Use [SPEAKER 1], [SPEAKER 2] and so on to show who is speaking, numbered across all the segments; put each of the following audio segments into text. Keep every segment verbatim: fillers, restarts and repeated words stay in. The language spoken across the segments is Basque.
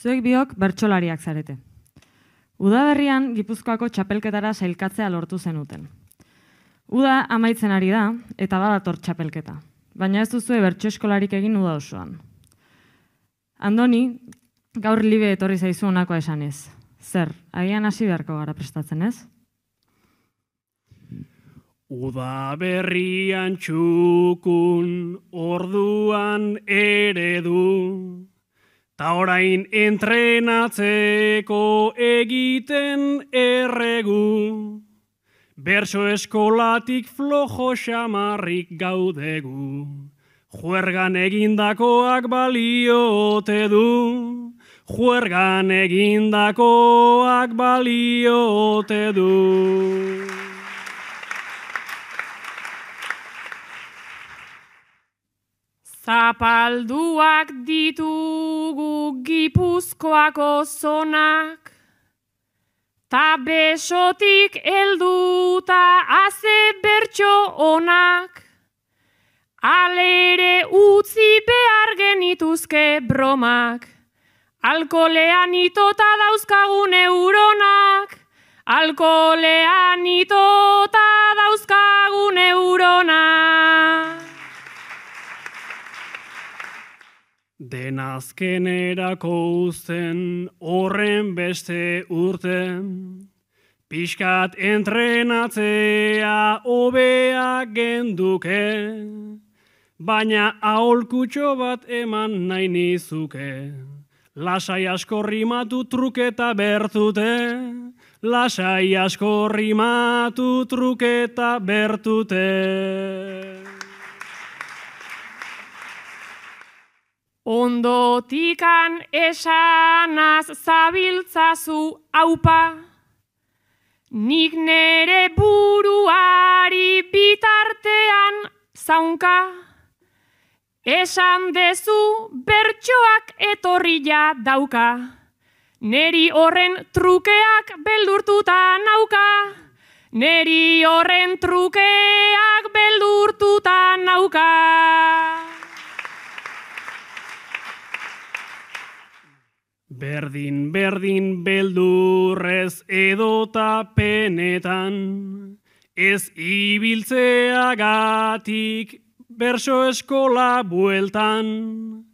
[SPEAKER 1] Zuek biok bertsolariak zarete. Udaberrian Gipuzkoako txapelketara sailkatzea lortu zenuten. Uda amaitzen ari da eta badator txapelketa, baina ez duzue bertso eskolarik egin uda osoan. Andoni, gaur libe etorri zaizu honakoa esanez. Zer, agian hasi beharko gara prestatzen ez?
[SPEAKER 2] Udaberrian txukun orduan eredu, ta orain entrenatzeko egiten erregu, berso eskolatik flojo xamarrik gaudegu, juergan egindakoak baliote du, juergan egindakoak baliote du.
[SPEAKER 3] Zapalduak ditugu Gipuzkoako zonak, ta besotik helduta haze bertso onak, alere utzi behar genituzke bromak, alkolean itota dauzkagun neuronak, alkolean itota dauzkagun neuronak.
[SPEAKER 2] Denazkenerako uzten horren beste urten, pixkat entrenatzea hobea genduke, baina aholkutxo bat eman nahi nizuke. Lasai asko rimatu truketa bertute, lasai asko rimatu truketa bertute.
[SPEAKER 3] Ondotikan esanaz zabiltzazu aupa, nik nere buruari bitartean zaunka, esan dezu bertsoak etorria dauka, neri horren trukeak beldurtuta nauka, neri horren trukeak beldurtuta nauka.
[SPEAKER 2] Berdin, berdin beldurrez edota penetan, ez ibiltzeagatik berso eskola bueltan,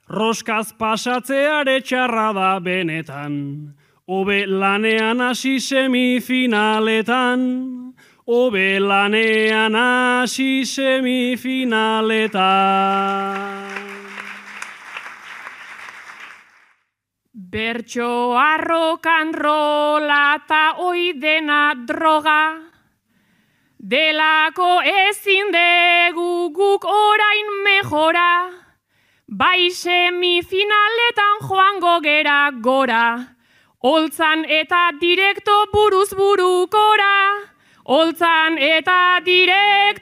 [SPEAKER 2] roskaz pasatzeare txarra da benetan, hobe lanean hasi semifinaletan, hobe lanean hasi semifinaletan.
[SPEAKER 3] Bertsoa rokan rola ta oidena droga, delako ezin degu guk orain mejora, bai semifinaletan joango gera gora, holtzan eta direkto buruz burukora, holtzan eta direkto